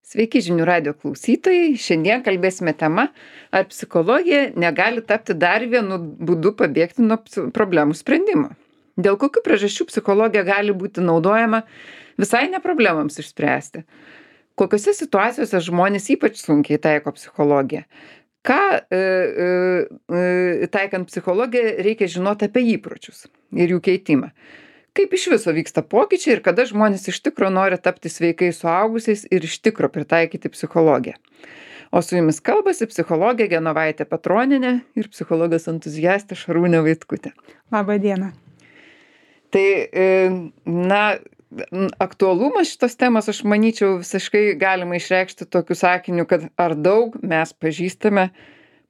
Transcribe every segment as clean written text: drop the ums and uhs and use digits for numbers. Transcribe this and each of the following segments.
Sveiki žinių radio klausytojai. Šiandien kalbėsime tema, ar psichologija negali tapti dar vienu būdu pabėgti nuo problemų sprendimo. Dėl kokių priežasčių psichologija gali būti naudojama visai ne problemams išspręsti. Kokiose situacijose žmonės ypač sunkiai taiko psichologiją. Ką taikant psichologiją reikia žinoti apie įpročius ir jų keitimą. Kaip iš viso vyksta pokyčiai ir kada žmonės iš tikro nori tapti sveikais suaugusiais ir iš tikro pritaikyti psichologiją. O su jumis kalbasi psichologė Genovaitė Petronienė ir psichologas entuziastė Šarūnė Vaitkutė. Labą dieną. Tai, aktualumas šitos temos, aš manyčiau, visiškai galima išreikšti tokiu sakiniu, kad ar daug mes pažįstame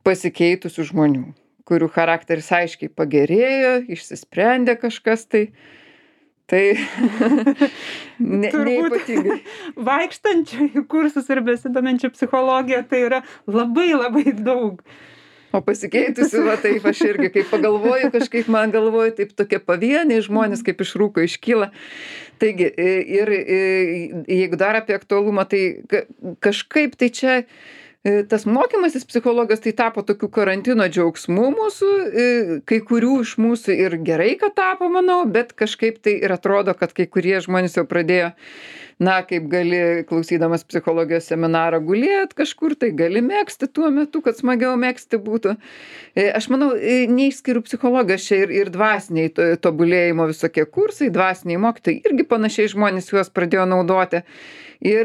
pasikeitusių žmonių, kurių charakteris aiškiai pagerėjo, išsisprendė kažkas neypatingai. Vaikštančių į kursus ir besidominčių psichologiją tai yra labai labai daug. O pasikeitusių, taip aš irgi, kai pagalvoju, kažkaip man galvoju, taip tokie pavieniai žmonės kaip iš rūko iškyla. Taigi, ir jeigu dar apie aktualumą, tai kažkaip tai čia tas mokymasis psichologijos tai tapo tokiu karantino džiaugsmu mūsų, kai kurių iš mūsų ir gerai, kad tapo, manau, bet kažkaip tai ir atrodo, kad kai kurie žmonės jau pradėjo, kaip gali klausydamas psichologijos seminarą gulėt kažkur, tai gali megzti tuo metu, kad smagiau megzti būtų. Aš manau, neišskiriu psichologijos čia ir dvasiniai tobulėjimo visokie kursai, dvasiniai mokytojai, irgi panašiai žmonės juos pradėjo naudoti. Ir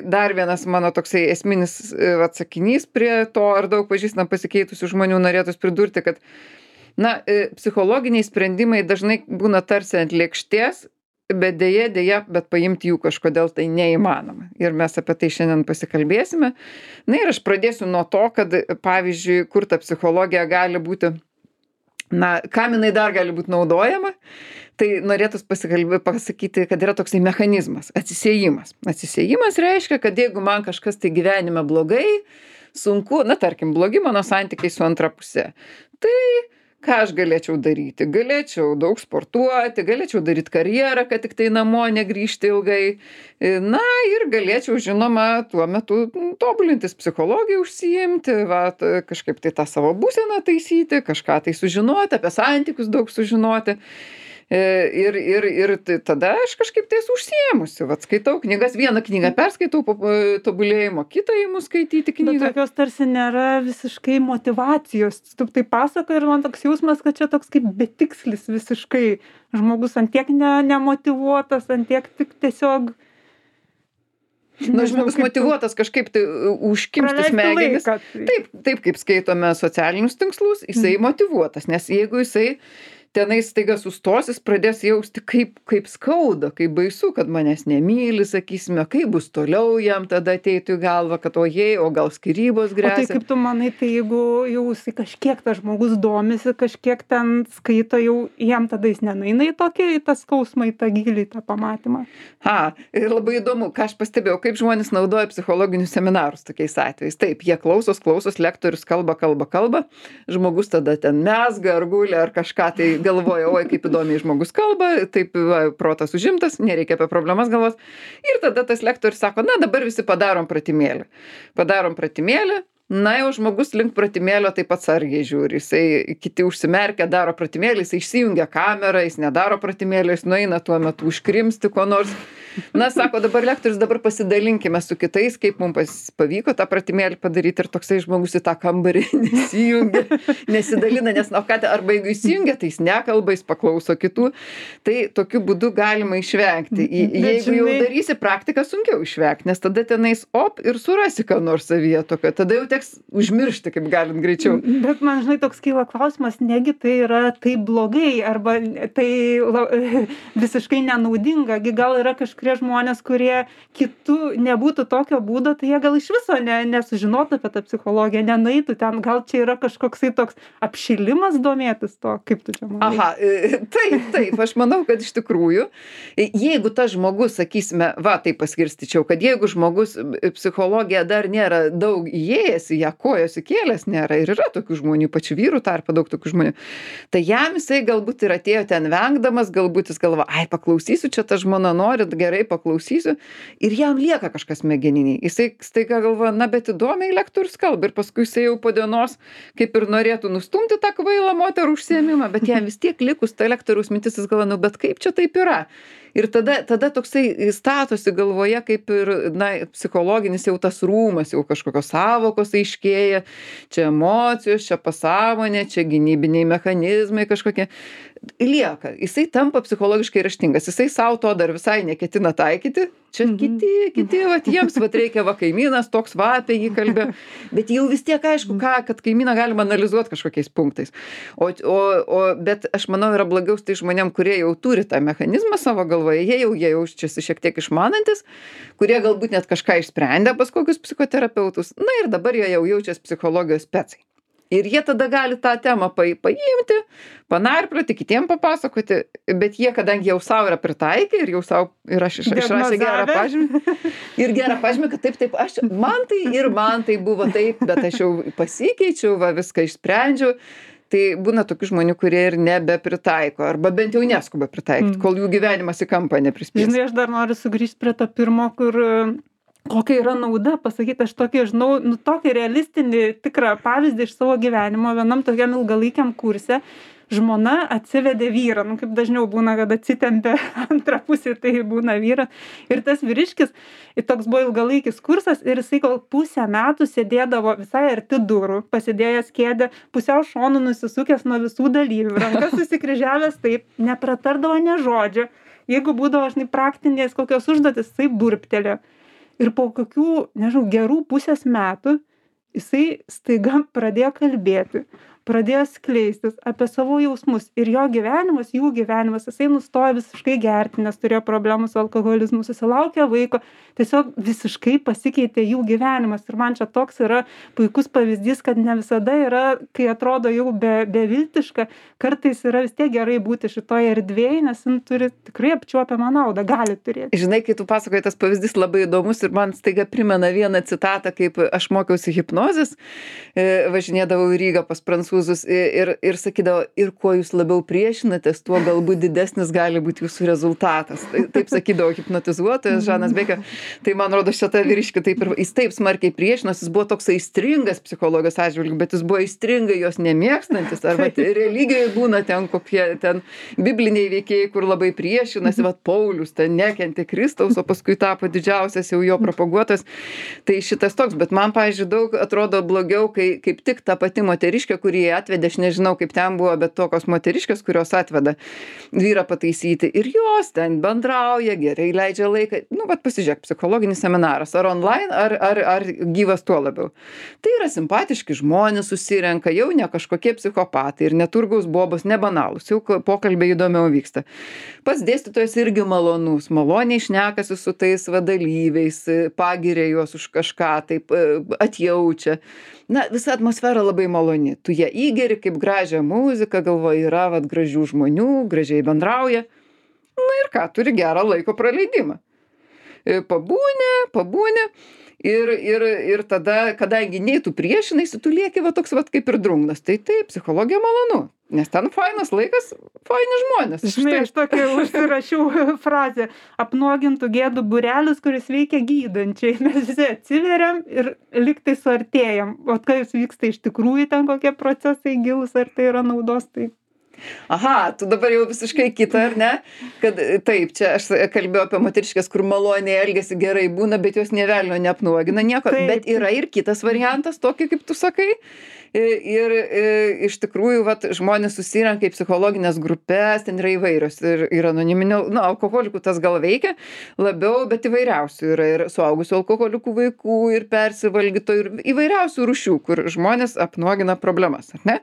dar vienas mano toksai esminis atsakinys prie to, ar daug pažįstam pasikeitusių žmonių, norėtųs pridurti, kad psichologiniai sprendimai dažnai būna tarsi ant lėkštės, bet bet paimti jų kažkodėl tai neįmanoma. Ir mes apie tai šiandien pasikalbėsime. Ir aš pradėsiu nuo to, kad pavyzdžiui, kur ta psichologija gali būti, kam jinai dar gali būti naudojama, tai norėtųs pasakyti, kad yra toksai mechanizmas – atsisiejimas. Atsisiejimas reiškia, kad jeigu man kažkas tai gyvenime blogai, sunku, tarkim, blogi mano santykiai su antra pusė, tai ką aš galėčiau daryti? Galėčiau daug sportuoti, galėčiau daryti karjerą, kad tik tai namo negrįžti ilgai. Ir galėčiau, žinoma, tuo metu tobulintis psichologiją užsiimti, kažkaip tai tą savo būseną taisyti, kažką tai sužinoti, apie santykius daug sužinoti. Ir tada aš kažkaip tais užsiėmusi. Skaitau knygas, vieną knygą perskaitau po tobulėjimo, kitą įimu skaityti knygą. Bet tokios tarsi nėra visiškai motyvacijos. Tu tai pasakoji ir man toks jausmas, kad čia toks kaip betikslis visiškai. Žmogus ant tiek nemotyvuotas, ant tiek tik tiesiog... Žmogus motyvuotas kažkaip tai užkimšti smegenis. Taip, kaip skaitome socialinius tinklus, jisai motyvuotas, nes jeigu jisai tenai staiga sustos, jis pradės jausti, kaip skauda, kaip baisu, kad manęs nemyli, sakysime, kaip bus toliau jam tada ateitų į galvą, kad o gal skyrybos gresia. O tai kaip tu manai, tai jeigu jau kažkiek tas žmogus domisi, kažkiek ten skaito, jau jam tada jis nenueina į tą skausmą, į tą gilį, į tą pamatymą? Ir labai įdomu, ką aš pastebėjau, kaip žmonės naudoja psichologinius seminarus tokiais atvejais. Taip, jie klausos, lektorius kalba, žmogus tada ten mezga ar guli ar kažką tai galvoja, kaip įdomiai žmogus kalba, taip protas užimtas, nereikia apie problemas galvos. Ir tada tas lektorius sako, dabar visi padarom pratimėlį. Jau žmogus link pratimėlio taip atsargiai žiūri. Jisai kiti užsimerkia, daro pratimėlį, jisai išsijungia kamerą, jis nedaro pratimėlio, jis nueina tuo metu užkrimsti ko nors. Sako, dabar lektorius, dabar pasidalinkime su kitais, kaip mums pavyko tą pratimėlį padaryti, ir toksai žmogus į tą kambarį nesidalina, nes arba jeigu įsijungia, tai jis nekalba, jis paklauso kitų. Tai tokiu būdu galima išvengti. Jeigu jau darysi praktiką, sunkiau išvengti, nes tada tenais ir surasi ką nors savyje tokio. Tada jau teks užmiršti, kaip galint greičiau. Bet man, toks kyla klausimas, negi tai yra taip blogai, arba tai visiškai nenaudinga. Gal yra kažkurie žmonės, kurie kitų nebūtų tokio būdo, tai jie gal iš viso nesužinotų apie tą psichologiją, nenueitų ten. Gal čia yra kažkoksai toks apšilimas domėtis to, kaip tu čia manai? Taip, aš manau, kad iš tikrųjų, jeigu tas žmogus, sakysime, taip paskirstyčiau, kad jeigu žmogus psichologija dar nėra daug įėjęs į ją, kojos įkėlęs nėra, ir yra tokių žmonių, pačių vyrų tarpe daug tokių žmonių, tai jam jisai galbūt ir atėjo ten vengdamas, galbūt jis galvo, paklausysiu, čia ta žmona nori, gerai gerai, paklausysiu. Ir jam lieka kažkas smegeninėj. Jisai staiga galvoja, na, bet įdomiai lektorius kalba. Ir paskui jisai jau po dienos kaip ir norėtų nustumti tą kvailą moterų užsiėmimą, bet jam vis tiek likus ta lektoriaus mintis, jis galvoja, nu, bet kaip čia taip yra? Ir tada toksai statosi galvoje kaip ir, na, psichologinis jau tas rūmas, jau kažkokios sąvokos aiškėja, čia emocijos, čia pasąmonė, čia gynybiniai mechanizmai kažkokie. Lieka. Jisai tampa psichologiškai raštingas. Jisai savo to dar visai neketina taikyti. Čia kiti, vat jiems vat reikia, va kaimynas toks va apie jį kalbėjo. Bet jau vis tiek aišku, kad kaimyną galima analizuoti kažkokiais punktais. Bet aš manau, yra blogiau tai žmonėm, kurie jau turi tą mechanizmą savo galvoje, jie jaučiasi šiek tiek išmanantis, kurie galbūt net kažką išsprendė pas kokius psichoterapeutus. Na ir dabar jie jau jaučiasi psichologijos specai. Ir jie tada gali tą temą paimti, panarplioti, kitiem papasakoti, bet jie, kadangi jau savo yra pritaikę ir jau savo išrašė gerą pažymį. Ir gerą pažymį, kad taip, man tai buvo taip, bet aš jau pasikeičiau, va viską išsprendžiau. Tai būna tokių žmonių, kurie ir nebepritaiko, arba bent jau neskuba pritaikyti, kol jų gyvenimas į kampą neprispės. Žinai, aš dar noriu sugrįžti prie to pirmo, kur kokia yra nauda pasakyti, aš tokį, žinau, tokį realistinį tikrą pavyzdį iš savo gyvenimo vienam tokiam ilgalaikiam kurse. Žmona atsivedė vyrą, kaip dažniau būna, kad atsitempia antrą pusę, tai būna vyras. Ir tas vyriškis, toks buvo ilgalaikis kursas ir jisai gal pusę metų sėdėdavo visai arti durų, pasidėjęs kėdę, pusiau šonų nusisukęs nuo visų dalyvių, rankas susikryžiavęs taip, nepratardavo nė žodžio. Jeigu būdavo, žinai, praktinės kokios užduotis, jisai burptelė. Ir po kokių, nežinau, gerų pusės metų jisai staiga pradėjo kalbėti, pradėjo skleistis apie savo jausmus ir jo gyvenimas, jų gyvenimas, jisai nustojo visiškai gerti, nes turėjo problemų su alkoholizmu, susilaukė vaiko, tiesiog visiškai pasikeitė jų gyvenimas. Ir man čia toks yra puikus pavyzdys, kad ne visada yra, kai atrodo jau beviltiška, kartais yra vis tiek gerai būti šitoje erdvėje, nes jin turi tikrai apčiuopiamą naudą, gali turėti. Žinai, kai tu pasakoji, tas pavyzdys labai įdomus ir man staiga primena vieną citatą, kaip aš mokiausi hipnozės, važinėdavau į Rygą pas prancūzus ir sakydavo, ir kuo jūs labiau priešinatės, tuo galbūt didesnis gali būti jūsų rezultatas. Taip sakydavo hipnotizuotojas Žanas Bekė. Tai man rodo, šitą vyriškį jis taip smarkiai priešinosi, jis buvo toks aistringas psichologijos atžvilgiu, bet jis buvo aistringai jos nemėgstantis. Arba religijoje būna ten kokie ten bibliniai veikėjai, kur labai priešinasi, Paulius ten nekentė Kristaus, o paskui tapo didžiausias jau jo propaguotas. Tai šitas toks, bet man, pavyzdžiui, daug atrodo blogiau, kai kaip tik ta pati moteriškė, kurį atvedė, aš nežinau, kaip ten buvo, bet tokios moteriškės, kurios atveda vyrą pataisyti ir jos ten bendrauja, gerai leidžia laiką. Pasižiūrėk, psichologinis seminaras, ar online, ar gyvas tuo labiau. Tai yra simpatiški žmonės, susirenka, jau ne kažkokie psichopatai ir neturgaus bobos, nebanalūs, jau pokalbiai įdomiau vyksta. Pats dėstytojas irgi malonus, maloniai šnekasi su tais dalyviais, pagiria juos už kažką, taip atjaučia. Visa atmosfera labai maloni. Tu ją įgeri kaip gražią muziką, galvoji, yra gražių žmonių, gražiai bendrauja. Ir ką, turi gerą laiko praleidimą. Pabūni ir tada, kadangi nei tu priešinaisi, tu lieki toks kaip ir drungnas. Tai taip, psichologija malonu, nes ten fainas laikas, faini žmonės. Žinai, aš tokia užsirašiau frazę, apnuogintų gėdų būrelis, kuris veikia gydančiai. Mes visi atsiveriam ir liktai suartėjam. O kas vyksta iš tikrųjų, ten kokie procesai gilus, ar tai yra naudos, tai... Aha, tu dabar jau visiškai kita, ar ne? Kad taip, čia aš kalbėjau apie moteriškės, kur maloniai elgiasi, gerai būna, bet jos nė velnio neapnuogina nieko. Taip. Bet yra ir kitas variantas, tokį kaip tu sakai. Ir iš tikrųjų, žmonės susirenka į psichologinės grupės, ten yra įvairios. Ir anoniminių, alkoholikų tas gal veikia labiau, bet įvairiausių yra ir suaugusių alkoholikų vaikų, ir persivalgytojų, ir įvairiausių rūšių, kur žmonės apnuogina problemas, ar ne?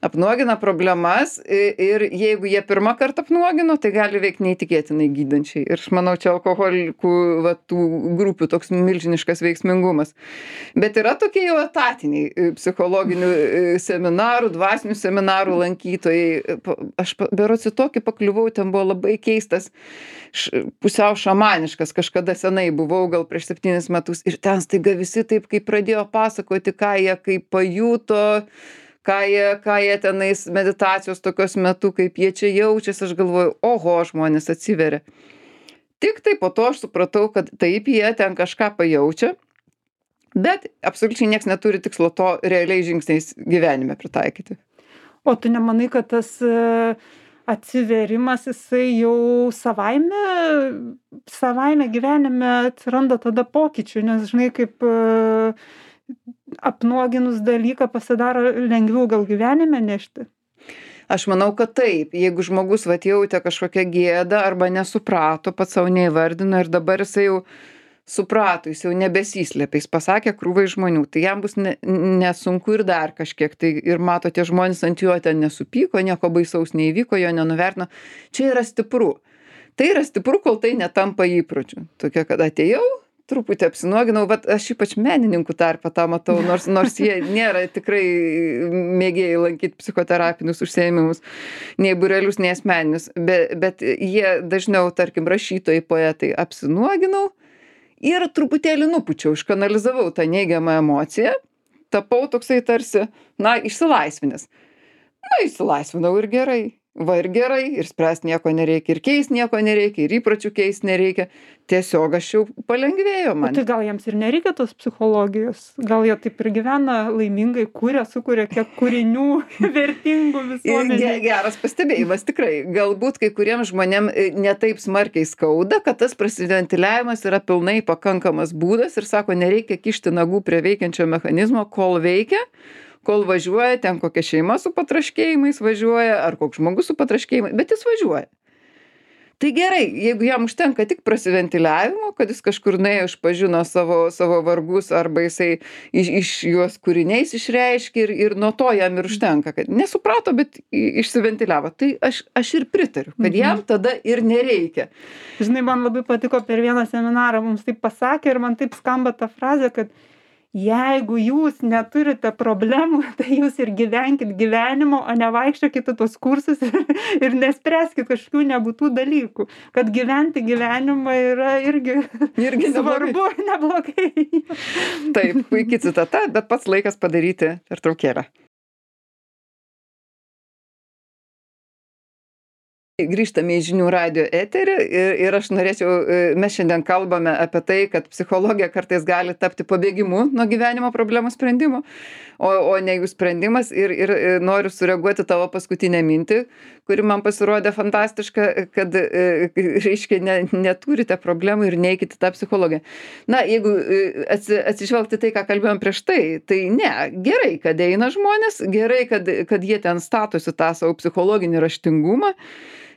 Apnuogina problemas ir jeigu jie pirmą kartą apnuogino, tai gali veikti neįtikėtinai gydančiai. Ir aš manau, čia alkoholikų tų grupių toks milžiniškas veiksmingumas. Bet yra tokie jau etatiniai psichologinių seminarų, dvasinių seminarų lankytojai. Aš berods į tokį pakliuvau, ten buvo labai keistas, pusiau šamaniškas, kažkada senai buvau, gal prieš 7 metus. Ir ten staiga visi taip, kaip pradėjo pasakoti, ką jie kaip pajuto, ką jie tenais meditacijos tokios metu, kaip jie čia jaučiasi, aš galvoju, oho, žmonės atsiveria. Tik tai po to aš supratau, kad taip jie ten kažką pajaučia, bet absoliučiai nieks neturi tikslo to realiais žingsniais gyvenime pritaikyti. O tu nemanai, kad tas atsivėrimas jisai jau savaime gyvenime atsiranda tada pokyčių, nes žinai, kaip apnuoginus dalyką pasidaro lengviau gal gyvenime nešti? Aš manau, kad taip. Jeigu žmogus vat jautė kažkokią gėdą arba nesuprato, pats savo neįvardino ir dabar jisai jau suprato, jis jau nebesislėpia, jis pasakė krūvai žmonių, tai jam bus nesunku ir dar kažkiek. Tai ir mato, tie žmonės ant jo ten nesupyko, nieko baisaus neįvyko, jo nenuvertino. Čia yra stipru. Tai yra stipru, kol tai netampa įpročiu. Tokia, kad atėjau, truputį apsinuoginau, bet aš ypač menininkų tarpe tą matau, nors jie nėra tikrai mėgėjai lankyti psichoterapinius užsiėmimus, nei būrelius, nei asmeninius, bet jie dažniau, tarkim, rašytojai, poetai, apsinuoginau ir truputėlį nupučiau, iškanalizavau tą neigiamą emociją, tapau toksai tarsi, išsilaisvinęs. Išsilaisvinau ir gerai. Ir gerai, ir spręsti nieko nereikia, ir keist nieko nereikia, ir įpročių keist nereikia. Tiesiog aš jau palengvėjo man. Tai gal jiems ir nereikia tos psichologijos? Gal jie taip ir gyvena laimingai, sukuria kiek kūrinių vertingų visuomenėje? Geras pastebėjimas, tikrai. Galbūt kai kuriems žmonėm netaip smarkiai skauda, kad tas prasiventiliavimas yra pilnai pakankamas būdas ir sako, nereikia kišti nagų prie veikiančio mechanizmo, kol veikia. Kol važiuoja, ten kokia šeima su patraškėjimais važiuoja, ar koks žmogus su patraškėjimais, bet jis važiuoja. Tai gerai, jeigu jam užtenka tik prasiventiliavimo, kad jis kažkur nuėjo, išpažino savo vargus, arba jisai iš juos kūriniais išreiškė ir nuo to jam ir užtenka, kad nesuprato, bet išsiventiliavo. Tai aš ir pritariu, kad jam tada ir nereikia. Žinai, man labai patiko per vieną seminarą, mums taip pasakė ir man taip skamba ta frazė, kad jeigu jūs neturite problemų, tai jūs ir gyvenkit gyvenimo, o ne vaikščiokite tuos kursus ir nespręskit kažkokių nebūtų dalykų. Kad gyventi gyvenimą yra irgi svarbu, neblogai. Taip, puikiai citata, bet pats laikas padaryti pertraukėlę. Grįžtame į žinių radijo eterį ir aš norėčiau, mes šiandien kalbame apie tai, kad psichologija kartais gali tapti pabėgimu nuo gyvenimo problemų sprendimo, o ne jų sprendimas ir noriu sureaguoti tavo paskutinę mintį, kuri man pasirodė fantastiška, kad, reiškia, neturite problemų ir neikite tą psichologiją. Jeigu atsižvelgti tai, ką kalbėjom prieš tai ne, gerai, kad eina žmonės, gerai, kad jie ten statosi tą savo psichologinį raštingumą,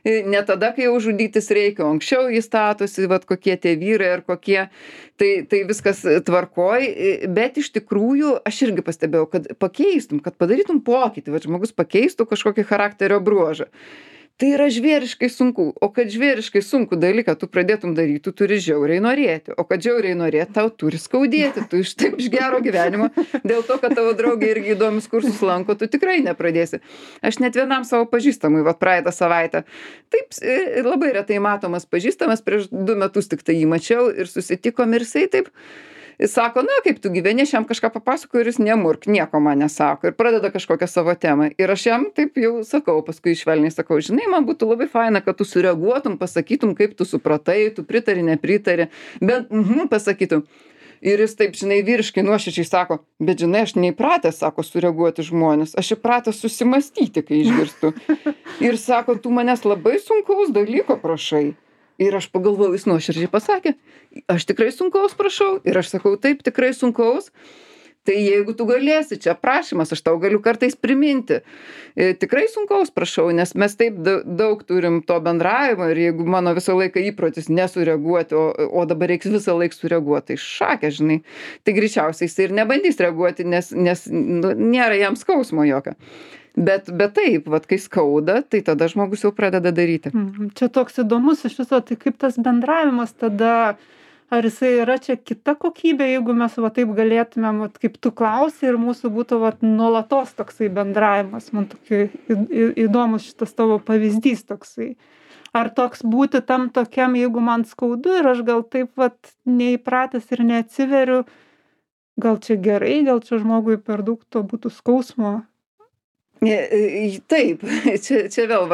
ne tada, kai jau žudytis reikia, o anksčiau jį statosi, kokie tie vyrai ar kokie, tai viskas tvarkoj, bet iš tikrųjų aš irgi pastebėjau, kad pakeistum, kad padarytum pokytį, žmogus pakeistų kažkokį charakterio bruožą. Tai yra žvėriškai sunku, o kad žvėriškai sunku dalyką tu pradėtum daryti, tu turi žiauriai norėti, o kad žiauriai norėti, tau turi skaudėti, tu iš gero gyvenimo, dėl to, kad tavo draugė irgi įdomius kursus lanko, tu tikrai nepradėsi. Aš net vienam savo pažįstamui, praeitą savaitę, taip labai retai matomas pažįstamas, prieš 2 metus tik tai jį mačiau ir susitikom ir jisai taip, jis sako, kaip tu gyveni, aš jam kažką papasakoju ir jis nemurk, nieko man nesako ir pradeda kažkokią savo temą. Ir aš jam taip jau sakau, paskui švelniai sakau, žinai, man būtų labai faina, kad tu sureaguotum, pasakytum, kaip tu supratai, tu pritari, nepritari, bet pasakytum. Ir jis taip, žinai, vyriškai nuoširdžiai sako, bet žinai, aš neįpratęs, sako, sureaguoti žmonės, aš įpratęs susimastyti, kai išgirstu. Ir sako, tu manęs labai sunkaus dalyko prašai. Ir aš pagalvojau, jis nuoširdžiai pasakė, aš tikrai sunkaus prašau. Ir aš sakau, taip, tikrai sunkaus. Tai jeigu tu galėsi, čia prašymas, aš tau galiu kartais priminti. Tikrai sunkaus prašau, nes mes taip daug turim to bendravimo ir jeigu mano visą laiką įprotis nesureaguoti, o dabar reiks visą laiką sureaguoti, tai šakė, žinai. Tai greičiausiai jis ir nebandys reaguoti, nes nėra jam skausmo jokio. Bet taip, kai skauda, tai tada žmogus jau pradeda daryti. Čia toks įdomus iš viso, tai kaip tas bendravimas tada, ar jisai yra čia kita kokybė, jeigu mes taip galėtumėm, kaip tu klausi ir mūsų būtų nuolatos toksai bendravimas. Man tokia įdomus šitas tavo pavyzdys toksai. Ar toks būti tam tokiam, jeigu man skaudu ir aš gal taip neįpratęs ir neatsiveriu, gal čia gerai, gal čia žmogui per daug to būtų skausmo. Taip, čia vėl,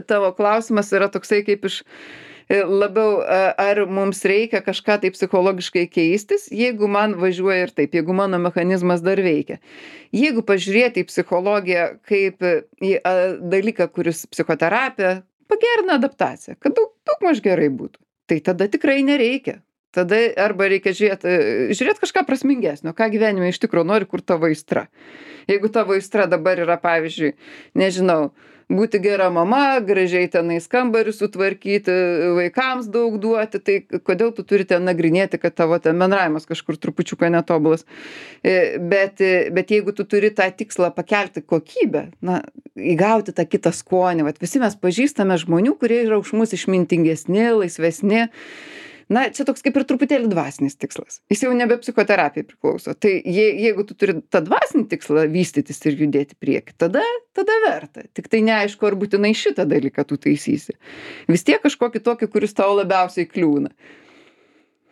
tavo klausimas yra toksai kaip iš labiau, ar mums reikia kažką tai psichologiškai keistis, jeigu man važiuoja ir taip, jeigu mano mechanizmas dar veikia. Jeigu pažiūrėti į psichologiją kaip į dalyką, kuris psichoterapija pagerina adaptaciją, kad daugmaž gerai būtų, tai tada tikrai nereikia. Tada arba reikia žiūrėt kažką prasmingesnio, ką gyvenime iš tikrųjų nori, kur tavo aistra. Jeigu tavo aistra dabar yra, pavyzdžiui, nežinau, būti gera mama, gražiai tenais kambarį sutvarkyti, vaikams daug duoti, tai kodėl tu turi ten nagrinėti, kad tavo ten bendravimas kažkur trupučiuką netobulas. Bet jeigu tu turi tą tikslą pakelti kokybę, įgauti tą kitą skonį, visi mes pažįstame žmonių, kurie yra už mus išmintingesni, laisvesni. Čia toks kaip ir truputėlį dvasinis tikslas. Jis jau nebe psichoterapijai priklauso. Tai jeigu tu turi tą dvasinį tikslą vystytis ir judėti prieki, tada verta. Tik tai neaišku, ar būtinai šitą dalyką tu taisysi. Vis tiek kažkokį tokį, kuris tau labiausiai kliūna.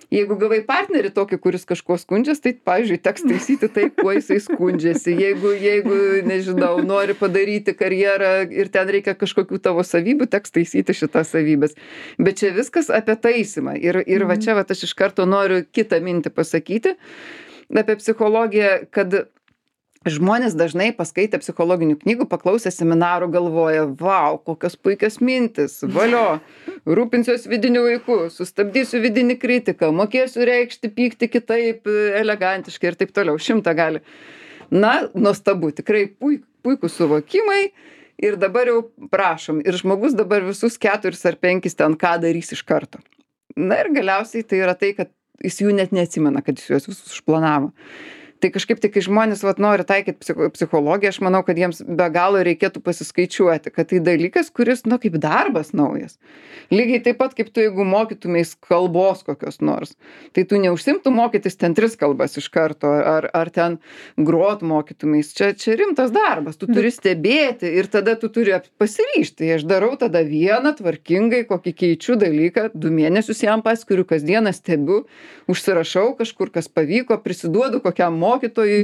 Jeigu gavai partnerį tokį, kuris kažkuo skundžiasi, tai, pavyzdžiui, teks taisyti taip, kuo jisai skundžiasi. Jeigu, nežinau, nori padaryti karjerą ir ten reikia kažkokių tavo savybių, teks taisyti šitas savybės. Bet čia viskas apie taisymą. Ir va čia aš iš karto noriu kitą mintį pasakyti apie psichologiją, kad žmonės dažnai paskaitę psichologinių knygų, paklausę seminarų galvoja, vau, kokios puikios mintis, valio, rūpinsiuos vidiniu vaiku, sustabdysiu vidinį kritiką, mokėsiu reikšti pyktį kitaip, elegantiškai ir taip toliau, 100 gali. Nuostabu, tikrai puikūs suvokimai ir dabar jau prašom. Ir žmogus dabar visus 4 ar 5 ten ką darys iš karto. Ir galiausiai tai yra tai, kad jis jų net neatsimena, kad jis juos visus užplanavo. Tai kažkaip tai, kai žmonės nori taikyti psichologiją, aš manau, kad jiems be galo reikėtų pasiskaičiuoti, kad tai dalykas, kuris, kaip darbas naujas. Lygiai taip pat, kaip tu, jeigu mokytumės kalbos kokios nors, tai tu neužsimtų mokytis ten 3 kalbas iš karto, ar ten grot mokytumės. Čia rimtas darbas, tu turi stebėti ir tada tu turi pasiryžti. Aš darau tada vieną tvarkingai, kokį keičiu dalyką, 2 mėnesius jam paskiriu, kasdieną stebiu, užsirašau kažkur, kas pavyko, prisiduodu kokiam mokytojui.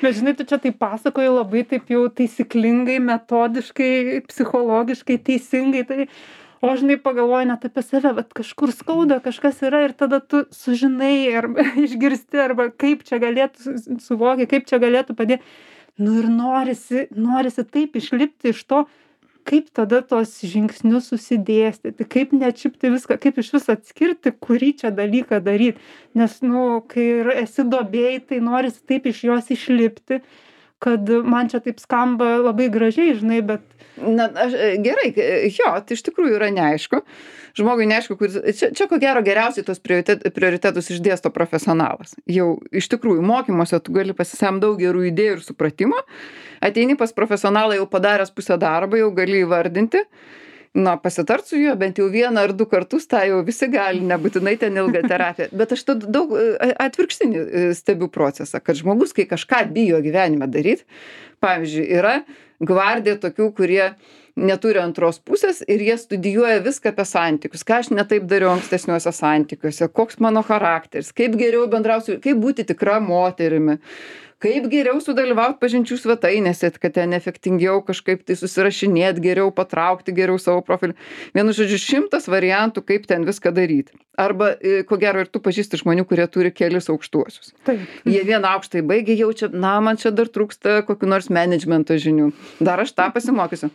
Bet žinai, tu čia tai pasakoji labai taip jau taisyklingai, metodiškai, psichologiškai, teisingai. Tai, o žinai, pagalvoji net apie save, bet kažkur skauda, kažkas yra ir tada tu sužinai arba išgirsti, arba kaip čia galėtų suvokia, kaip čia galėtų padėti. Ir norisi taip išlipti iš to, kaip tada tos žingsnius susidėstyti, kaip neatšipti viską, kaip iš vis atskirti, kurį čia dalyką daryti. Nes, kai esi duobėj, tai norisi taip iš jos išlipti, kad man čia taip skamba labai gražiai, žinai, bet... Gerai, tai iš tikrųjų yra neaišku. Žmogui neaišku, čia ko gero geriausiai tos prioritetus išdėsto profesionalas. Jau iš tikrųjų mokymuose tu gali pasisemti daug gerų idėjų ir supratimo. Ateini pas profesionalą jau padaręs pusę darbo, jau gali įvardinti. Pasitart su juo bent jau 1 ar 2 kartus, tą jau visi gali, nebūtinai ten ilga terapija. Bet aš tada daug atvirkštinį stebiu procesą, kad žmogus, kai kažką bijo gyvenime daryti, pavyzdžiui, yra gvardija tokių, kurie neturi antros pusės ir jie studijuoja viską apie santykius, ką aš ne taip dariau ankstesniuose santykiuose, koks mano charakteris, kaip geriau bendrausiu, kaip būti tikra moterimi, kaip geriau sudalyvauti pažinčių svetainėse, kad ten efektingiau kažkaip tai susirašinėt, geriau patraukti, geriau savo profilį. Vienu žodžiu, 100 variantų, kaip ten viską daryti. Arba, ko gero, ir tu pažįsti žmonių, kurie turi kelis aukštuosius. Taip. Jie vieną aukštąjį baigė, jaučia, man čia dar trūksta kokių nors menedžmento žinių. Dar aš tą pasimokysiu.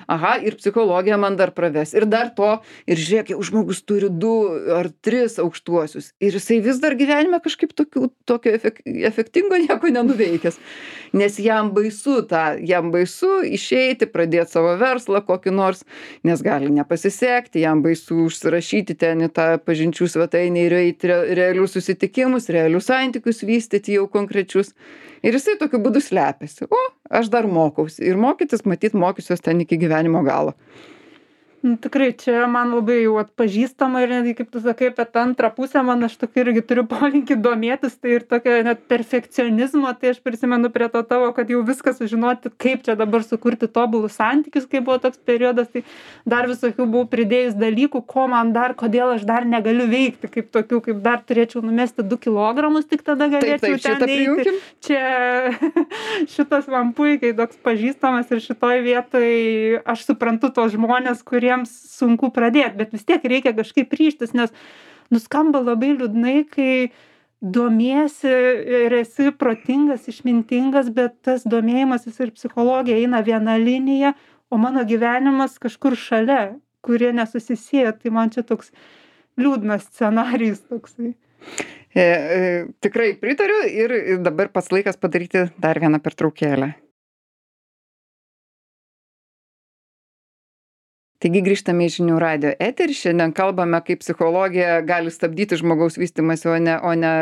Aha, ir psichologija man dar praves. Ir dar to, ir žiūrėk, jau žmogus turi 2 ar 3 aukštuosius. Ir jisai vis dar gyvenime kažkaip tokio efektingo nieko nenuveikęs. Nes jam baisu išeiti, pradėti savo verslą kokį nors, nes gali nepasisekti, jam baisu užsirašyti ten į tą pažinčių svetainę ir eiti realius susitikimus, realius santykius vystyti jau konkrečius. Ir jisai tokiu būdu slepiasi. Aš dar mokausi. Ir mokytis, matyt, mokysiuos ten iki gyvenimo galo. Tikrai čia man labai jau atpažįstama ir netgi, kaip tu sakai, apie tą antrą pusę, man aš tokį irgi turiu polinkį domėtis, tai ir tokio net perfekcionizmo, tai aš prisimenu prie to tavo, kad jau viską sužinoti, kaip čia dabar sukurti tobulus santykius, kai buvo toks periodas, tai dar visokių buvau pridėjus dalykų, kodėl aš dar negaliu veikti, kaip tokių, kaip dar turėčiau numesti 2 kilogramus, tik tada galėčiau ten eiti. Čia šitas man puikiai toks pažįstamas ir šitoj vietoj aš suprantu tos žmonės, kurie kuriems sunku pradėt, bet vis tiek reikia kažkaip ryžtis, nes nuskamba labai liūdnai, kai domiesi ir esi protingas, išmintingas, bet tas domėjimasis ir psichologija eina viena linija, o mano gyvenimas kažkur šalia, kurie nesusisieja. Tai man čia toks liūdnas scenarijus toksai. Tikrai pritariu ir dabar pats laikas padaryti dar vieną pertraukėlę. Taigi grįžtame į Žinių radijo eterį. Šiandien kalbame, kaip psichologija gali stabdyti žmogaus vystymąsi, o ne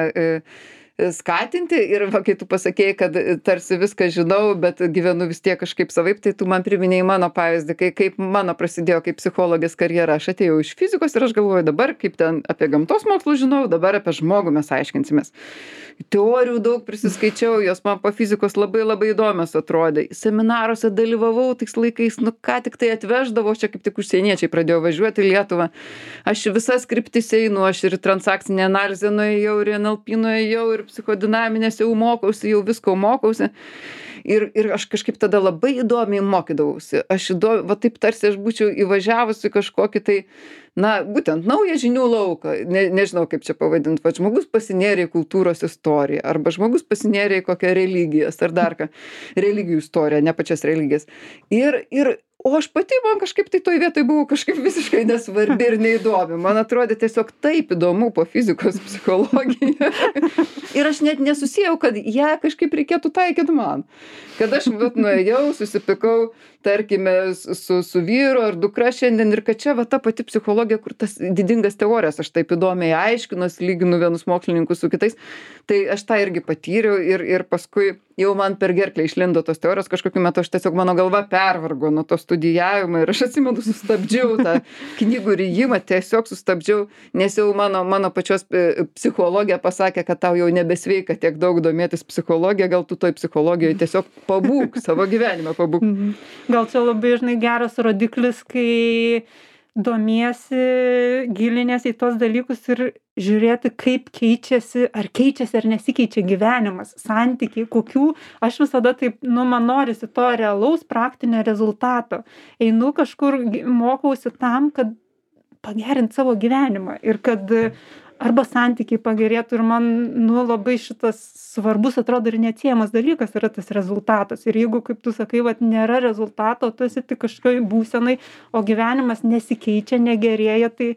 skatinti. Ir va, kai tu pasakėjai, kad tarsi viską žinau, bet gyvenu vis tiek kažkaip savaip, tai tu man priminėjai mano pavyzdį, kaip mano prasidėjo kaip psichologės karjera. Aš atėjau iš fizikos ir aš galvoju dabar, kaip ten apie gamtos mokslus žinau, dabar apie žmogų mes aiškinsimės. Teorijų daug prisiskaičiau, jos man po fizikos labai labai įdomios atrodė. Seminaruose dalyvavau tais laikais, ką tik tai atveždavau, čia kaip tik užsieniečiai pradėjo važiuoti į Lietuvą. Aš visas kryptis einu, aš ir transakcinę analizę nuėjau, ir NLP nuėjau, ir psichodinaminės jau mokausi, jau visko mokausi. Ir aš kažkaip tada labai įdomiai mokydavausi. Va taip tarsi aš būčiau įvažiavusi kažkokį tai, būtent naują žinių lauką. Nežinau, kaip čia pavadinti. Va, žmogus pasinėrė į kultūros istoriją, arba žmogus pasinėrė į kokią religijas, ar dar ką. Religijų istoriją, ne pačias religijas. O aš pati, man kažkaip tai toj vietoj buvau kažkaip visiškai nesvarbi ir neįdomi. Man atrodė tiesiog taip įdomu po fizikos psichologija. Ir aš net nesusijau, kad ją kažkaip reikėtų taikyti man. Kad aš nuėjau, susipikau, tarkime, su vyru ar dukra šiandien ir kad čia va ta pati psichologija, kur tas didingas teorijas aš taip įdomiai aiškinuos, lyginu vienus mokslininkus su kitais. Tai aš tą irgi patyriau ir paskui jau man per gerklę išlindo tos teorijos, kažkokiu metu aš tiesiog mano galva pervargo nuo to studijavimo ir aš atsimenu sustabdžiau tą knygų rijimą, tiesiog sustabdžiau, nes jau mano pačios psichologija pasakė, kad tau jau nebesveika tiek daug domėtis psichologija, gal tu toj psichologijoje tiesiog pabūk, savo gyvenimą pabūk. Gal čia labai, žinai, geras rodiklis, kai domiesi, gilinės į tos dalykus ir žiūrėti, kaip keičiasi ar nesikeičia gyvenimas, santykiai, kokių. Aš visada taip, man norisi to realaus praktinio rezultato. Einu kažkur, mokausi tam, kad pagerint savo gyvenimą ir kad arba santykiai pagerėtų ir man, labai šitas svarbus, atrodo, ir neatsiejamas dalykas yra tas rezultatas. Ir jeigu, kaip tu sakai, nėra rezultato, tu esi tik kažkokioj būsenai, o gyvenimas nesikeičia, negerėja, tai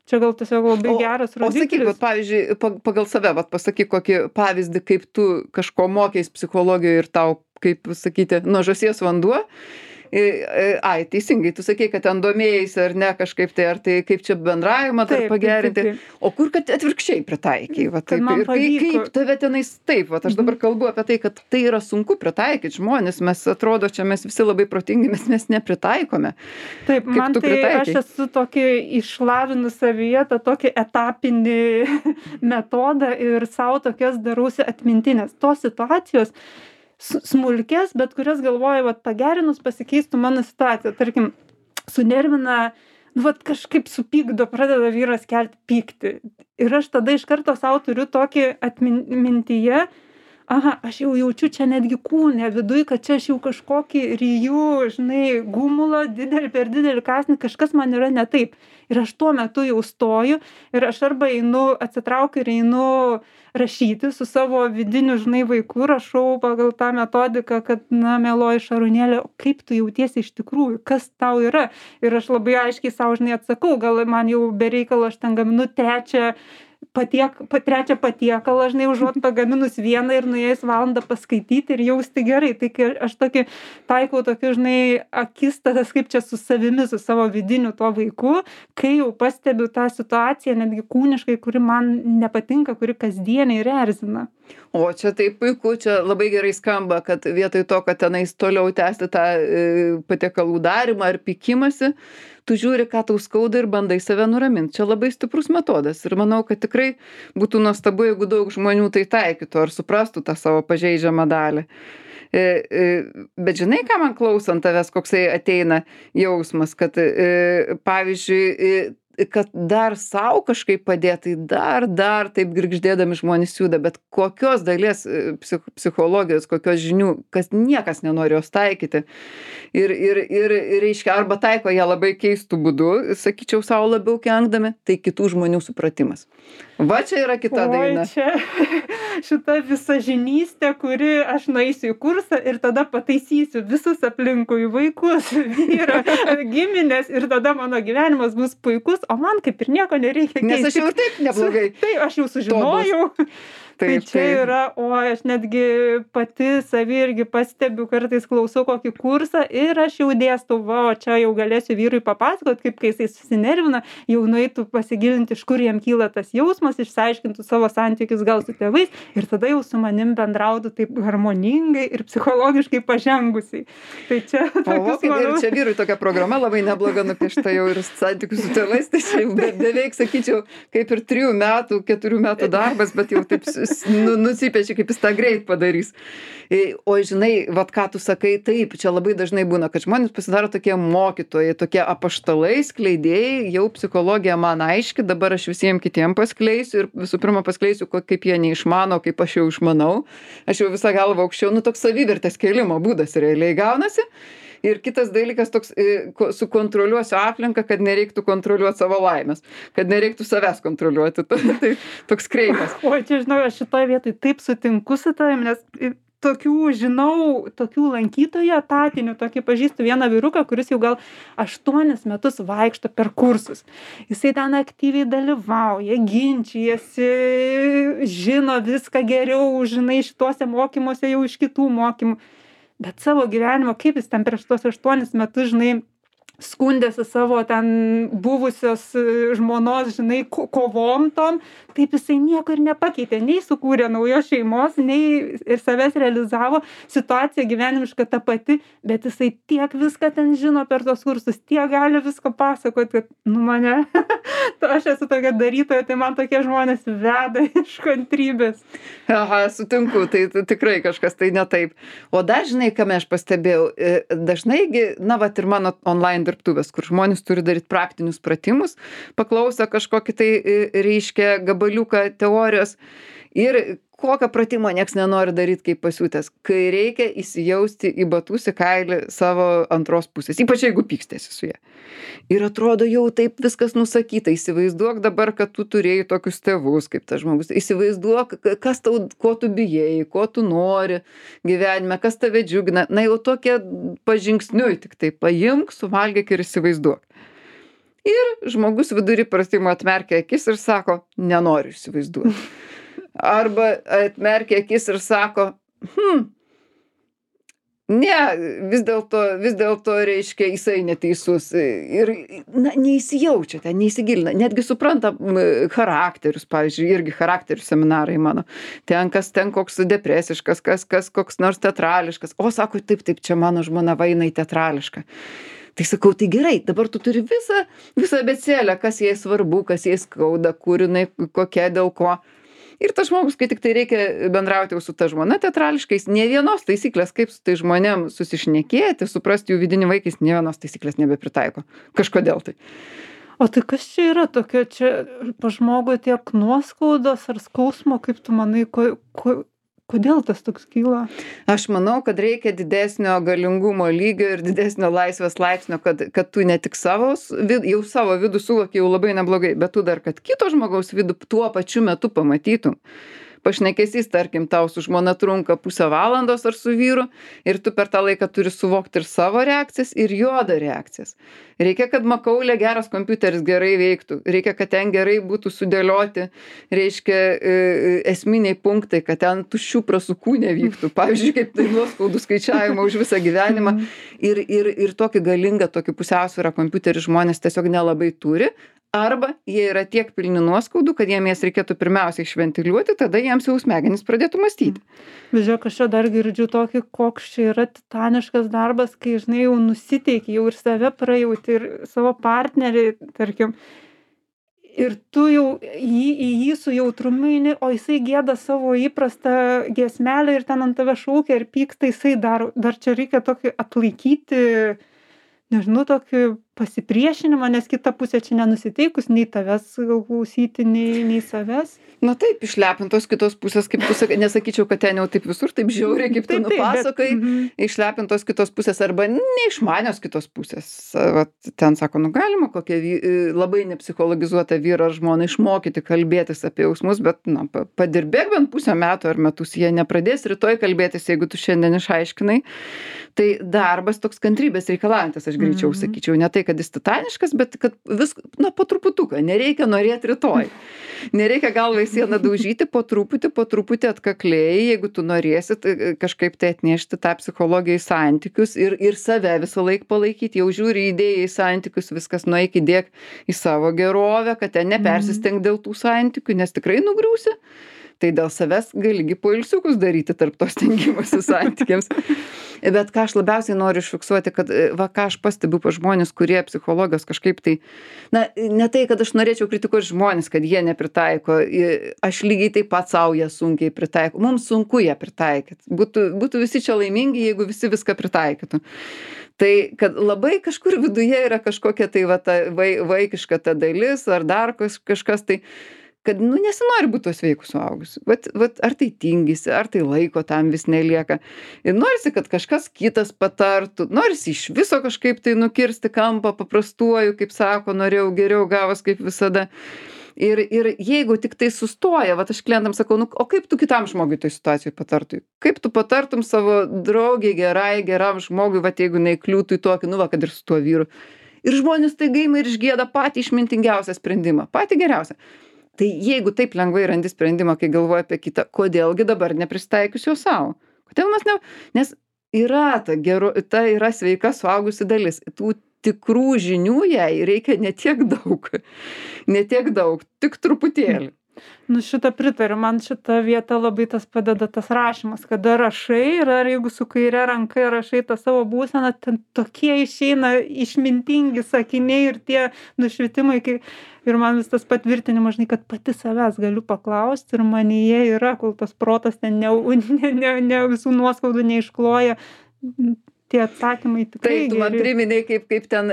čia gal tiesiog labai geras rodiklis. O sakyk, pavyzdžiui, pagal save, pasakyk kokį pavyzdį, kaip tu kažko mokės psichologijoje ir tau, kaip sakyti, nuo žąsies vanduo. Ai, teisingai, tu sakei, kad ten domėjaisi ar ne kažkaip tai, ar tai kaip čia bendravimą dar pagerinti. Taip. O kur, kad atvirkščiai pritaikai? Ir kaip tave tenais taip, aš dabar kalbu apie tai, kad tai yra sunku pritaikyti žmonės, mes atrodo, čia mes visi labai protingi, mes nepritaikome. Taip, kaip man tai aš esu tokį išlavinus savyje, tą tokį etapinį metodą ir savo tokias darausi atmintinės. Tos situacijos smulkės, bet kurias galvoju, pagerinus pasikeistų mano situacija. Tarkim, sunervina, kažkaip supykdo, pradeda vyras kelti pyktį. Ir aš tada iš karto savo turiu tokį mintyje, aš jau jaučiu čia netgi kūne viduj, kad čia aš jau kažkokį ryjų, gumulą, per didelį kąsnį, kažkas man yra ne taip. Ir aš tuo metu jau stoju ir aš arba atsitraukiu ir einu rašyti su savo vidiniu, vaiku, rašau pagal tą metodiką, kad, mieloji Šarūnėlė, kaip tu jautiesi iš tikrųjų, kas tau yra. Ir aš labai aiškiai savo, atsakau, gal man jau bereikalo aš ten gaminu trečią patiekalą, užuot pagaminus vieną ir nuėjus valandą paskaityti ir jausti gerai. Tai aš tokį taikau akistatas, kaip čia su savimi, su savo vidiniu tuo vaiku, kai jau pastebiu tą situaciją, netgi kūniškai, kuri man nepatinka, kuri kasdieniai ir erzina. O čia taip puiku, čia labai gerai skamba, kad vietoj to, kad tenais toliau tęsti tą patiekalų darimą ar pykimąsi, tu žiūri, ką tau skauda ir bandai save nuraminti. Čia labai stiprus metodas ir manau, kad tikrai būtų nuostabu, jeigu daug žmonių tai taikytų ar suprastų tą savo pažeidžiamą dalį. Bet žinai, ką man klausant tavęs, koksai ateina jausmas, kad pavyzdžiui, kad dar sau kažkaip padėt, tai dar taip girgždėdami žmonės juda, bet kokios dalies psichologijos, kokios žinių, kas niekas nenori jos taikyti. Ir reiškia, arba taiko ją labai keistų būdų, sakyčiau, savo labiau kenkdami, tai kitų žmonių supratimas. Va čia yra kita daina. Čia šita visažinystė, kuri aš nueisiu į kursą ir tada pataisysiu visus aplinkui vaikus, vyrą, giminės ir tada mano gyvenimas bus puikus, o man kaip ir nieko nereikia keisti. Nes aš jau ir taip neblogai. Tai aš jau sužinojau. Tai čia yra, o aš netgi pati savį irgi pastebiu, kartais klausau kokį kursą ir aš jau dėstau, va, o čia jau galėsiu vyrui papasakot, kaip kai jisai susinervina, jau nueitų pasigilinti, iš kur jam kyla tas jausmas, išsiaiškintų savo santykius gal su tėvais ir tada jau su manim bendrautų taip harmoningai ir psichologiškai pažengusiai. Tai čia tokius, manau... Ir čia vyrui tokia programa labai nebloga nupiešta jau ir santykius su tėvais, tai čia jau beveik, sakyčiau, kaip ir 3 metų, 4 metų darbas, bet jau taip nusipešia, kaip jis tą greit padarys. O žinai, vat ką tu sakai, taip, čia labai dažnai būna, kad žmonės pasidaro tokie mokytojai, tokie apaštalai, skleidėjai, jau psichologija man aiški, dabar aš visiems kitiem paskleisiu ir visų pirma paskleisiu, kaip jie neišmano, kaip aš jau išmanau. Aš jau visą galvą aukščiau, toks savivertės kėlimo būdas realiai gaunasi. Ir kitas dalykas toks, sukontroliuosiu aplinką, kad nereiktų kontroliuoti savo laimės, kad nereiktų savęs kontroliuoti. Tai toks kreipas. O čia, žinau, aš šitoje vietoje taip sutinku su tavim, nes tokių lankytojų etatinių, tokį pažįstu vieną vyruką, kuris jau gal 8 metus vaikšto per kursus. Jisai ten aktyviai dalyvauja, ginčijasi, žino viską geriau, žinai, šituose mokymuose jau iš kitų mokymų. Bet savo gyvenimo, kaip jis ten prieš tuos 8 metus, žinai, skundėsi savo ten buvusios žmonos, žinai, kovom tom, taip jisai nieko ir nepakeitė, nei sukūrė naujos šeimos, nei ir savęs realizavo, situacija gyvenimiška ta pati, bet jisai tiek viską ten žino per tos kursus, tiek gali visko pasakoti, kad, mane, aš esu tokia darytoja, tai man tokie žmonės veda iš kantrybės. Aha, sutinku, tai tikrai kažkas tai ne taip. O dar, žinai, ką aš pastebėjau, dažnaigi, vat ir mano online dirbtuvės, kur žmonės turi daryti praktinius pratimus, paklauso kažkokį tai reiškia gabaliuką teorijos ir kokio pratimo nieks nenori daryti kaip pasiūtęs, kai reikia įsijausti į batus į kailį savo antros pusės, ypač jeigu pykstėsi su ja. Ir atrodo jau taip viskas nusakyta, įsivaizduok dabar, kad tu turėjai tokius tėvus kaip tas žmogus, įsivaizduok, ko tu bijai, ko tu nori gyvenime, kas tave džiugina, na jau tokie pažingsniui, tik tai paimk, suvalgyk ir įsivaizduok. Ir žmogus vidury pratimo atmerkia akis ir sako, nenoriu įsivaizduoti. Arba atmerkia akis ir sako, ne, vis dėlto reiškia, jisai neteisus. Ir neįsijaučia ten, neįsigilina. Netgi supranta charakterius, pavyzdžiui, irgi charakterių seminarai mano. Ten koks depresiškas, kas koks nors teatrališkas. O, sako, taip, čia mano žmona vainai teatrališka. Tai sakau, tai gerai, dabar tu turi visą abėcėlę, kas jai svarbu, kas jai skauda, kur jinai, kokia, dėl ko. Ir tas žmogus, kai tik tai reikia bendrauti jau su ta žmona teatrališkais, ne vienos taisyklės, kaip su tai žmonėm susišnekėti, suprasti jų vidinį vaikais, ne vienos taisyklės nebepritaiko. Kažkodėl tai. O tai kas čia yra tokia, čia pa žmogui tiek nuoskaudos ar skausmo, kaip tu manai, kodėl tas toks kyla? Aš manau, kad reikia didesnio galingumo lygio ir didesnio laisvės laipsnio, kad tu ne tik jau savo vidų suvoki jau labai neblogai, bet tu dar, kad kito žmogaus vidų tuo pačiu metu pamatytum. Pašnekesys, tarkim, tau su žmona trunka pusę valandos ar su vyru ir tu per tą laiką turi suvokti ir savo reakcijas, ir jodo reakcijas. Reikia, kad makaulė geras kompiuteris gerai veiktų, reikia, kad ten gerai būtų sudėlioti, reiškia, esminiai punktai, kad ten tuščių prasukų nevyktų. Pavyzdžiui, kaip tai nuoskaudų skaičiavimo už visą gyvenimą. Ir tokį galingą, tokį pusiausvyrą kompiuterį žmonės tiesiog nelabai turi. Arba jie yra tiek pilni nuoskaudų, kad jiem jas reikėtų pirmiausiai išventiliuoti, tada jiems jau smegenys pradėtų mąstyti. Žiūrėk, aš čia dar girdžiu tokį, koks čia yra titaniškas darbas, kai, žinai, jau nusiteiki, jau ir save prajauti, ir savo partnerį, tarkim, ir tu jau į jį su jautrumu eini, o jisai gėda savo įprastą giesmelę ir ten ant tave šaukia ir pyksta, jisai dar čia reikia tokį atlaikyti, nežinau, tokį pasipriešinimo, nes kita pusė čia nenusiteikus nei tavęs gal klausyti, nei savęs. Na taip, išlepintos kitos pusės, kaip tu sakai, nesakyčiau, kad ten jau taip visur, taip žiauriai, kaip tu nupasakai, išlepintos kitos pusės arba neišmanios kitos pusės. Vat ten sako, nu galima kokią labai nepsichologizuotą vyrą ar žmoną išmokyti kalbėtis apie jausmus, bet na, padirbėk bent pusę metų ar metus, jie nepradės rytoj kalbėtis, jeigu tu šiandien išaiškinai. Tai darbas toks kantrybės reikalaujantis, aš greičiau sakyčiau, ne tai, kad jis titaniškas, bet kad na, po truputuką, nereikia norėti rytoj. Nereikia galvą į sieną daužyti, po truputį atkakliai, jeigu tu norėsit kažkaip tai atnešti tą psichologiją į santykius ir save visą laiką palaikyti, jau žiūri idėją į santykius, viskas nueik įdėk į savo gerovę, kad ten nepersisteng dėl tų santykių, nes tikrai nugriūsi. Tai dėl savęs galigi poilsiukus daryti tarp tos stengimosi santykiams. Bet ką aš labiausiai noriu išfiksuoti, kad va ką aš pastebiu pa žmonės, kurie psichologijos kažkaip tai, na, ne tai, kad aš norėčiau kritikuoti žmonės, kad jie nepritaiko, aš lygiai taip pat savo ją sunkiai pritaiko, mums sunku ją pritaikyti. Būtų visi čia laimingi, jeigu visi viską pritaikytų. Tai, kad labai kažkur viduje yra kažkokia tai va, ta vaikiška ta dalis, ar dar kažkas tai, kad, nu, nesinori būti tuo sveiku suaugusiu. Vat, ar tai tingisi, ar tai laiko tam vis nelieka. Ir norisi, kad kažkas kitas patartų, norisi iš viso kažkaip tai nukirsti kampą paprastuoju, kaip sako, norėjau geriau, gavos kaip visada. Ir jeigu tik tai sustoja, vat aš klientam sakau, nu, o kaip tu kitam žmogui toj situacijoj patartum? Kaip tu patartum savo draugiai geram žmogui, vat jeigu neįkliūtų į tokį, nu, va, kad ir su tuo vyru. Ir žmonės tai gaima ir išgėda patį išmintingiausią sprendimą, patį geriausią. Tai jeigu taip lengvai randi sprendimą, kai galvoji apie kitą, kodėlgi dabar neprisitaikius jo savo? Kodėl mes Nes yra ta yra sveika suaugusi dalis. Tų tikrų žinių jai reikia ne tiek daug, tik truputėlį. Nu šitą pritariu, man šita vieta labai tas padeda tas rašymas, kada rašai ir ar jeigu su kaire ranka rašai tą savo būseną, ten tokie išeina išmintingi sakiniai ir tie nušvitimai, ir man vis tas patvirtinimas, žinai, kad pati savęs galiu paklausti ir manyje yra, kol tas protas ten ne visų nuoskaudų neiškloja. Tie atsakymai tikrai geri. Tai tu man priminei, kaip ten,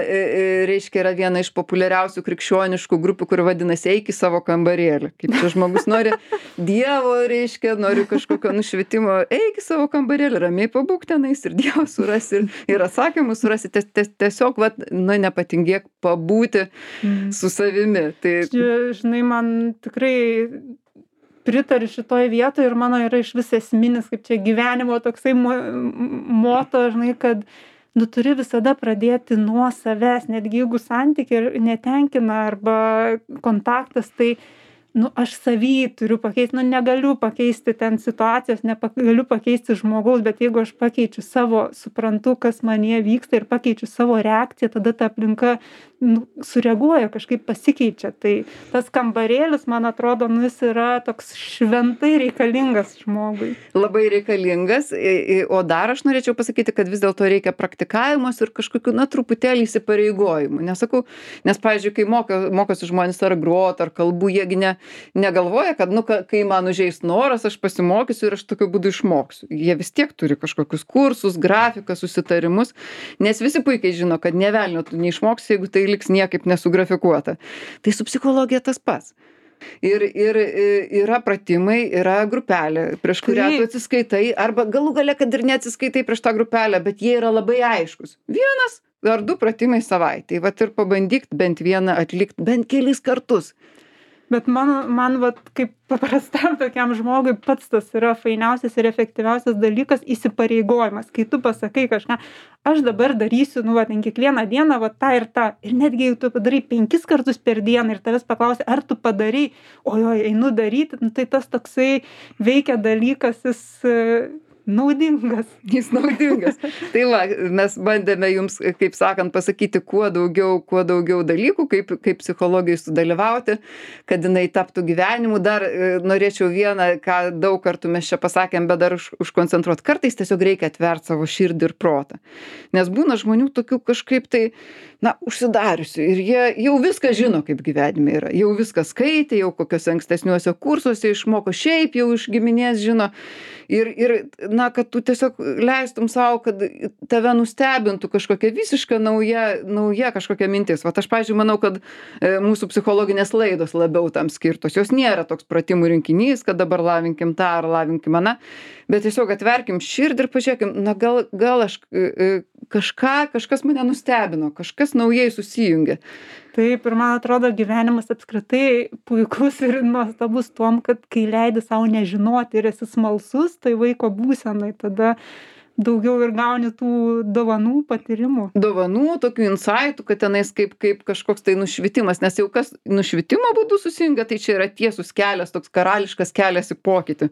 reiškia, yra viena iš populiariausių krikščioniškų grupių, kuri vadinasi eik į savo kambarėlį. Kaip čia žmogus nori Dievo, reiškia, nori kažkokio nušvitimo, eik į savo kambarėlį, ramiai pabūk tenais ir Dievą surasi, ir atsakymus surasi. Tiesiog, nu, nepatingėk pabūti su savimi. Tai... Žinai, man tikrai... pritariu šitoj vietoj ir mano yra iš vis esminis, kaip čia gyvenimo toksai moto, žinai, kad nu turi visada pradėti nuo savęs, netgi jeigu santykiai netenkina arba kontaktas, tai nu aš savy turiu pakeisti, nu negaliu pakeisti ten situacijos, negaliu pakeisti žmogaus, bet jeigu aš pakeičiu savo, suprantu, kas manyje vyksta ir pakeičiu savo reakciją, tada ta aplinka sureaguoja, kažkaip pasikeičia. Tai tas kambarėlis, man atrodo, nu jis yra toks šventai reikalingas žmogui. Labai reikalingas, o dar aš norėčiau pasakyti, kad vis dėlto reikia praktikavimus ir kažkokių, na, truputėlį įsipareigojimų. Nesakau, nes, pavyzdžiui, kai mokosi žmonės ar grot, ar kalbų, jiegi negalvoja, kad, nu, kai man užeis noras, aš pasimokysiu ir aš tokiu būdu išmoksiu. Jie vis tiek turi kažkokius kursus, grafiką, susitarimus, nes visi puikiai žino, kad nė velnio tu neišmoksi, jeigu tai liks niekaip nesugrafikuota. Tai su psichologija tas pats. Ir yra pratimai, yra grupelė, prieš kurią tu atsiskaitai, arba galų gale, kad ir neatsiskaitai prieš tą grupelę, bet jie yra labai aiškus. 1 ar 2 pratimai savaitei. Vat ir pabandyk bent vieną atlikti, bent kelis kartus. Bet man vat, kaip paprastam tokiam žmogui pats tas yra fainiausias ir efektyviausias dalykas įsipareigojimas. Kai tu pasakai kažką, aš dabar darysiu, nu, va, ten kiekvieną dieną, va, tą ir tą. Ir netgi jeigu tu padarai 5 kartus per dieną ir tavęs paklausia, ar tu padarai, ojoj, einu daryti, nu, tai tas toksai veikia dalykas, naudingas. Jis naudingas. Tai va, mes bandėme jums, kaip sakant, pasakyti kuo daugiau dalykų, kaip psichologijai sudalyvauti, kad jinai taptų gyvenimu. Dar norėčiau vieną, ką daug kartų mes čia pasakėm, bet dar užkoncentruoti. Kartais tiesiog reikia atverti savo širdį ir protą. Nes būna žmonių tokių kažkaip tai, na, užsidariusių ir jie jau viską žino, kaip gyvenime yra. Jau viską skaitė, jau kokiuose ankstesniuose kursuose išmoko, šiaip jau iš giminės žino. Ir na, kad tu tiesiog leistum sau, kad tave nustebintų kažkokia visiška nauja kažkokia mintis. Vat aš, pavyzdžiui, manau, kad mūsų psichologinės laidos labiau tam skirtos. Jos nėra toks pratimų rinkinys, kad dabar lavinkim tą ar lavinkim aną, bet tiesiog atverkim širdį ir pažiūrėkim, na gal aš kažkas mane nustebino, kažkas naujai susijungė. Taip, ir man atrodo, gyvenimas apskritai puikus ir nuostabus tuom, kad kai leidi savo nežinoti ir esi smalsus, tai vaiko būsenai tada daugiau ir gauni tų dovanų, patyrimų. Dovanų, tokių insaitų, kad tenais kaip kažkoks tai nušvitimas, nes jau kas nušvitimo būdu susijungia, tai čia yra tiesus kelias, toks karališkas kelias į pokytį.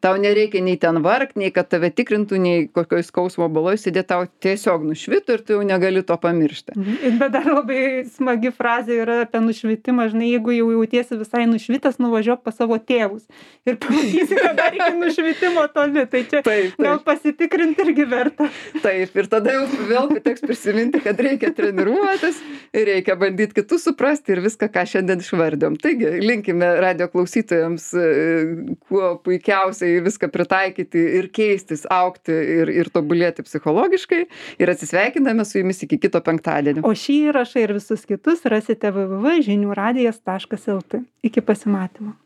Tau nereikia nei ten vargt, nei kad tave tikrintų, nei kokioj skausmo baloj sėdėti, tau tiesiog nušvito ir tu jau negali to pamiršti. Bet dar labai smagi frazė yra apie nušvitimą, žinai, jeigu jau jautiesi visai nušvitas, nuvažiuok pas savo tėvus ir pamatysi, kad dar iki nušvitimo toli, tai čia gal pasitikrinti irgi verta. Taip, ir tada jau vėl teks prisiminti, kad reikia treniruotis, reikia bandyti kitus suprasti ir viską, ką šiandien išvardėm. Taigi, linkime radio klausytojams kuo puikiausiai viską pritaikyti ir keistis, augti ir tobulėti psichologiškai. Ir atsisveikiname su jumis iki kito penktadienio. O šį įrašą ir visus kitus rasite www.žiniųradijas.lt. Iki pasimatymo.